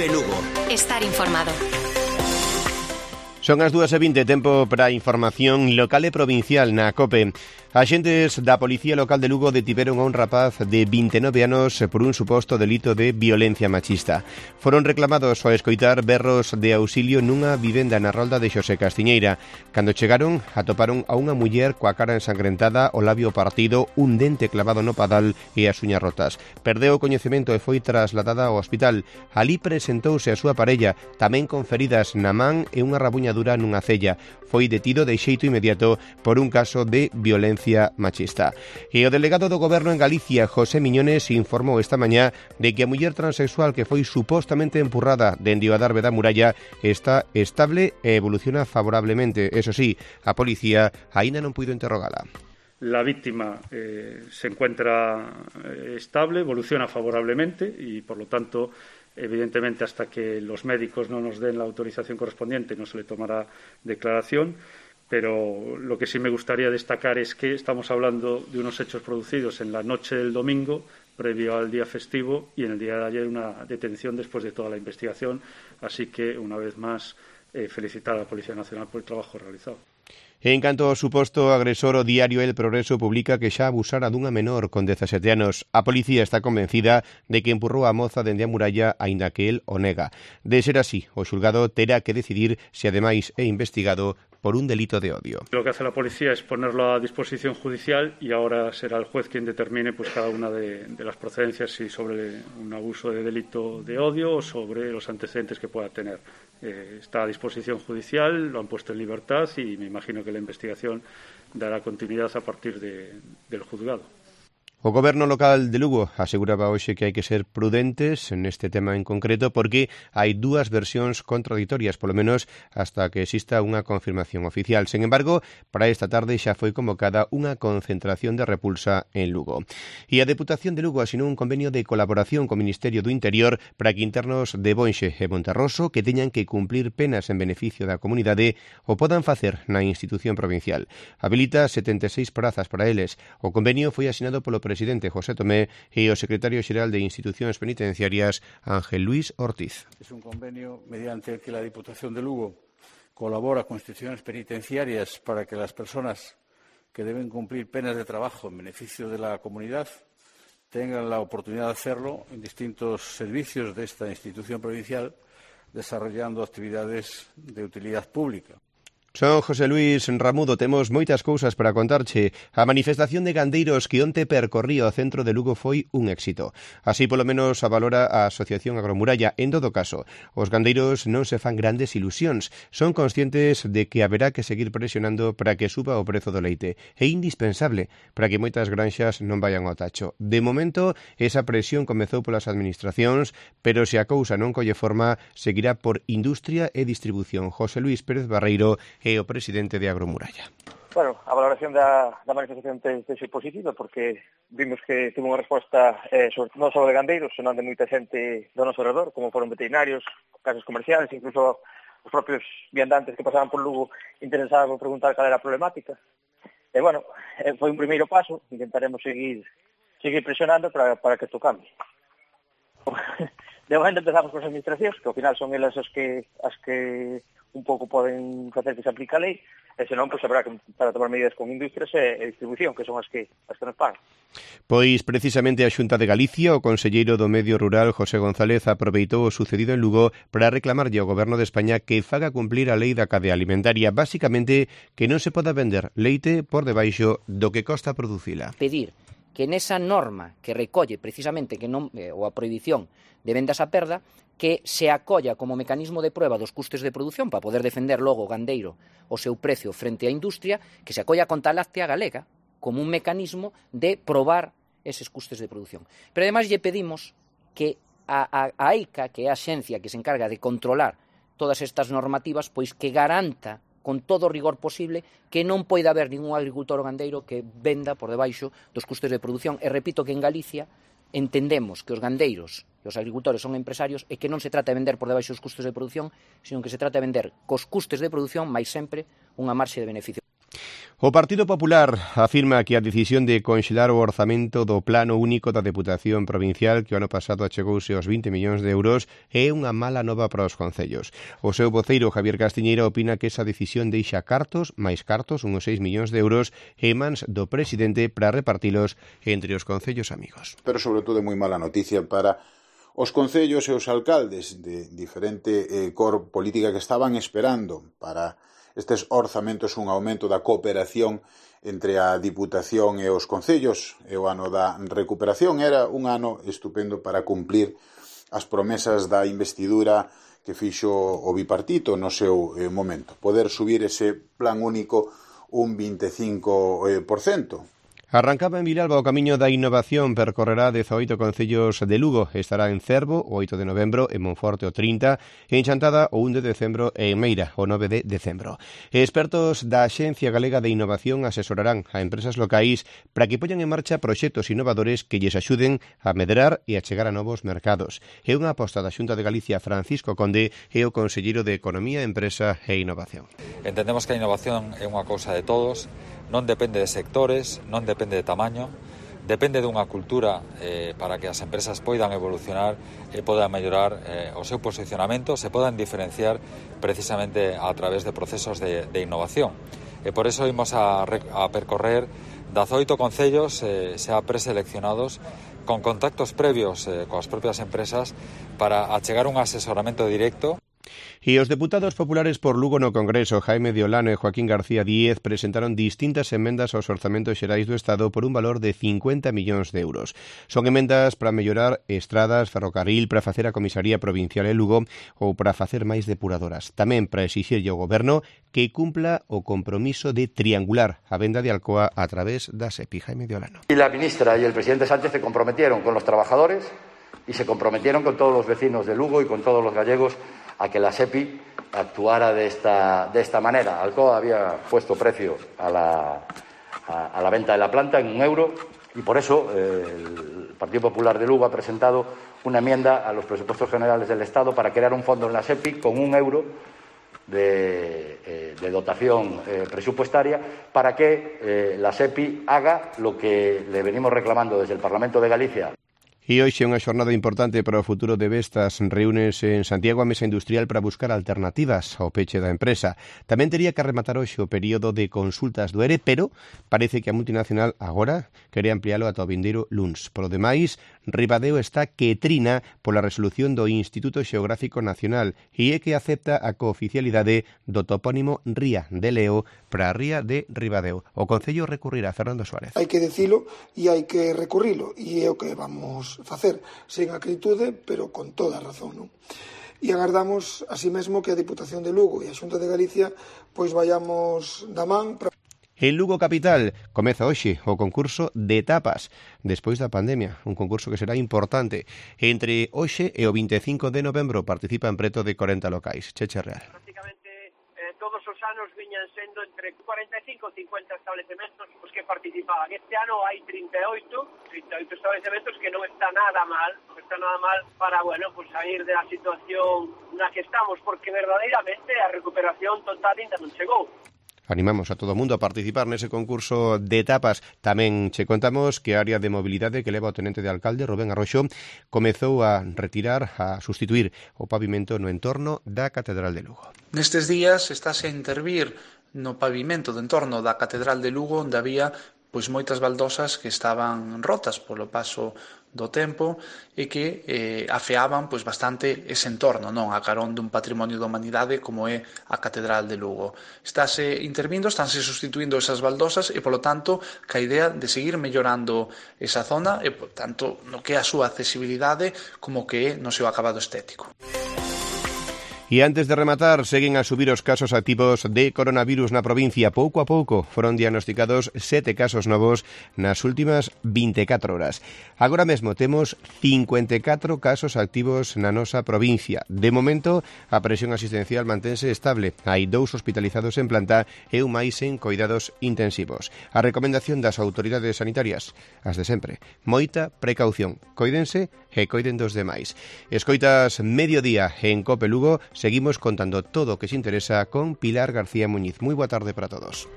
COPE Lugo. Estar informado. Son as 2:20, tempo para a información local e provincial na COPE. Axentes da Policía Local de Lugo detiveron a un rapaz de 29 anos por un suposto delito de violencia machista. Foron reclamados ao escoitar berros de auxilio nunha vivenda na rolda de Xosé Castiñeira. Cando chegaron, atoparon a unha muller coa cara ensangrentada, o labio partido, un dente clavado no padal e as uñas rotas. Perdeu o coñecemento e foi trasladada ao hospital. Alí presentouse a súa parella, tamén con feridas na man e unha rabuñadura nunha cella. Foi detido de xeito inmediato por un caso de violencia machista. E o delegado do Goberno en Galicia, José Miñones, informou esta mañá de que a muller transexual que foi supostamente empurrada dende o adarve da muralla está estable e evoluciona favorablemente. Eso sí, a policía aínda non puido interrogala. La víctima se encuentra estable, evoluciona favorablemente y, por lo tanto, evidentemente, hasta que los médicos no nos den la autorización correspondiente no se le tomará declaración. Pero lo que sí me gustaría destacar es que estamos hablando de unos hechos producidos en la noche del domingo, previo al día festivo, y en el día de ayer una detención después de toda la investigación. Así que, una vez más, felicitar a la Policía Nacional por el trabajo realizado. En canto ao suposto agresor, o diario El Progreso publica que xa abusara dunha menor con 17 anos. A policía está convencida de que empurrou a moza dende a muralla, aínda que el o nega. De ser así, o xulgado terá que decidir se ademais é investigado por un delito de odio. Lo que hace la policía es ponerlo a disposición judicial y ahora será el juez quien determine cada una de las procedencias, si sobre un abuso de delito de odio o sobre los antecedentes que pueda tener. Está a disposición judicial, lo han puesto en libertad y me imagino que la investigación dará continuidad a partir del juzgado. O Goberno local de Lugo aseguraba hoxe que hai que ser prudentes neste tema en concreto porque hai dúas versións contraditorias, polo menos hasta que exista unha confirmación oficial. Sen embargo, para esta tarde xa foi convocada unha concentración de repulsa en Lugo. E a Deputación de Lugo asinou un convenio de colaboración co Ministerio do Interior para que internos de Bonxe e Monterroso que teñan que cumplir penas en beneficio da comunidade o podan facer na institución provincial. Habilita 76 prazas para eles. O convenio foi asinado polo presidente José Tomé e o secretario xeral de Institucións Penitenciarias, Ángel Luis Ortiz. Es un convenio mediante el que la Diputación de Lugo colabora con instituciones penitenciarias para que las personas que deben cumplir penas de trabajo en beneficio de la comunidad tengan la oportunidad de hacerlo en distintos servicios de esta institución provincial, desarrollando actividades de utilidad pública. Son José Luis Ramudo, temos moitas cousas para contarche. A manifestación de gandeiros que onte percorría o centro de Lugo foi un éxito. Así polo menos a valora a Asociación Agromuralla. En todo caso, os gandeiros non se fan grandes ilusións. Son conscientes de que haberá que seguir presionando para que suba o prezo do leite. É indispensable para que moitas granxas non vayan ao tacho. De momento, esa presión comezou polas administracións, pero se a cousa non colle forma, seguirá por Industria e Distribución. José Luis Pérez Barreiro é o presidente de Agromuralla. Bueno, a valoración da manifestación ten sido positiva porque vimos que tivo unha resposta non só de gandeiros, senón de moita xente do noso redor, como foron veterinarios, casas comerciales, incluso os propios viandantes que pasaban por Lugo interesaban por preguntar cal era a problemática. E, bueno, foi un primeiro paso, intentaremos seguir presionando para que isto cambie. De momento empezamos con as administracións, que ao final son elas as que un pouco poden facer que se aplique a lei, e senón, pois, habrá que para tomar medidas con industrias e distribución, que son as que nos pagan. Pois, precisamente, a Xunta de Galicia, o conselleiro do Medio Rural, José González, aproveitou o sucedido en Lugo para reclamarlle ao Goberno de España que faga cumplir a lei da cadea alimentaria, basicamente que non se poda vender leite por debaixo do que costa producila. Pedir que nesa norma que recolle precisamente que non ou a prohibición de vendas a perda, que se acolla como mecanismo de prueba dos custes de produción para poder defender logo o gandeiro o seu precio frente á industria, que se acolla contra a láctea galega como un mecanismo de probar eses custes de produción. Pero ademais lle pedimos que a AICA, que é a axencia que se encarga de controlar todas estas normativas, pois que garanta con todo o rigor posible que non poida haber ningún agricultor ou gandeiro que venda por debaixo dos custes de produción. E repito que en Galicia entendemos que os gandeiros e os agricultores son empresarios e que non se trata de vender por debaixo dos custes de produción, sino que se trata de vender cos custes de produción máis sempre unha marxe de beneficio. O Partido Popular afirma que a decisión de conxelar o orzamento do Plano Único da Deputación Provincial, que o ano pasado achegouse aos 20 millóns de euros, é unha mala nova para os concellos. O seu voceiro, Javier Castiñeira, opina que esa decisión deixa máis cartos, uns 6 millóns de euros, en mans do presidente para repartilos entre os concellos amigos. Pero sobre todo é moi mala noticia para os concellos e os alcaldes de diferente cor política que estaban esperando para estes orzamentos un aumento da cooperación entre a Diputación e os concellos, e o ano da recuperación era un ano estupendo para cumplir as promesas da investidura que fixo o bipartito no seu momento, poder subir ese plan único un 25%. Arrancaba en Vilalba o camiño da innovación, percorrerá 18 concellos de Lugo. Estará en Cervo o 8 de novembro, en Monforte o 30, en Chantada o 1 de decembro e en Meira o 9 de decembro. Expertos da Axencia Galega de Innovación asesorarán a empresas locais para que poñan en marcha proxectos innovadores que lles axuden a medrar e a chegar a novos mercados. É unha aposta da Xunta de Galicia, Francisco Conde, e o conselleiro de Economía, Empresa e Innovación. Entendemos que a innovación é unha cousa de todos, non depende de sectores, non depende de tamaño, depende dunha cultura para que as empresas poidan evolucionar e podan mellorar o seu posicionamento, se podan diferenciar precisamente a través de procesos de innovación. E por eso imos a percorrer 18 concellos xa preseleccionados con contactos previos coas propias empresas para achegar un asesoramento directo. E os deputados populares por Lugo no Congreso, Jaime de Olano e Joaquín García Díez, presentaron distintas emendas aos orzamentos xerais do Estado por un valor de 50 millóns de euros. Son emendas para mellorar estradas, ferrocarril, para facer a comisaría provincial en Lugo ou para facer máis depuradoras. Tamén para exixirlle ao Goberno que cumpla o compromiso de triangular a venda de Alcoa a través da SEPI. Jaime de Olano. Y la ministra y el presidente Sánchez se comprometieron con los trabajadores y se comprometieron con todos los vecinos de Lugo y con todos los gallegos a que la SEPI actuara de esta manera. Alcoa había puesto precio a la venta de la planta en €1 y por eso el Partido Popular de Lugo ha presentado una enmienda a los presupuestos generales del Estado para crear un fondo en la SEPI con €1 de dotación presupuestaria para que la SEPI haga lo que le venimos reclamando desde el Parlamento de Galicia. E hoxe é unha xornada importante para o futuro de Vestas. Reúnese en Santiago a Mesa Industrial para buscar alternativas ao peche da empresa. Tamén tería que rematar hoxe o período de consultas do ERE, pero parece que a multinacional agora quere ampliálo ata o vindeiro luns. Por lo demais, Ribadeo está que trina pola resolución do Instituto Xeográfico Nacional e é que acepta a cooficialidade do topónimo Ría de Leo para a Ría de Ribadeo. O Concello recurrirá. Fernando Suárez. Hai que dicilo e hai que recurrilo, e é o que vamos facer, sen acritude, pero con toda a razón, non? E agardamos, así mesmo, que a Diputación de Lugo e a Xunta de Galicia pois vayamos da man para... En Lugo Capital comeza hoxe o concurso de tapas despois da pandemia, un concurso que será importante. Entre hoxe e o 25 de novembro participan preto de 40 locais. Cheche Real. Todos os anos viñan sendo entre 45 e 50 establecementos os que participaban. Este ano hai 38 establecementos, que non está nada mal, para, pues sair da situación na que estamos, porque verdadeiramente a recuperación total ainda non chegou. Animamos a todo o mundo a participar nese concurso de tapas. Tamén che contamos que a área de mobilidade que leva o tenente de alcalde, Rubén Arroxo, comezou a sustituir o pavimento no entorno da Catedral de Lugo. Nestes días estáse a intervir no pavimento do entorno da Catedral de Lugo, onde había moitas baldosas que estaban rotas polo paso do tempo e que afeaban bastante ese entorno, non, a carón dun patrimonio da humanidade como é a Catedral de Lugo. Estánse sustituindo esas baldosas e, polo tanto, ca idea de seguir mellorando esa zona e, por tanto, no que é a súa accesibilidade como que é no seu acabado estético. E antes de rematar, seguen a subir os casos activos de coronavirus na provincia. Pouco a pouco foron diagnosticados 7 casos novos nas últimas 24 horas. Agora mesmo temos 54 casos activos na nosa provincia. De momento, a presión asistencial mantense estable. Hai 2 hospitalizados en planta e un máis en coidados intensivos. A recomendación das autoridades sanitarias, as de sempre, moita precaución. Coídense e coiden dos demais. Escoitas Mediodía en Cope Lugo. Seguimos contando todo o que se interesa con Pilar García Muñiz. Moi boa tarde para todos.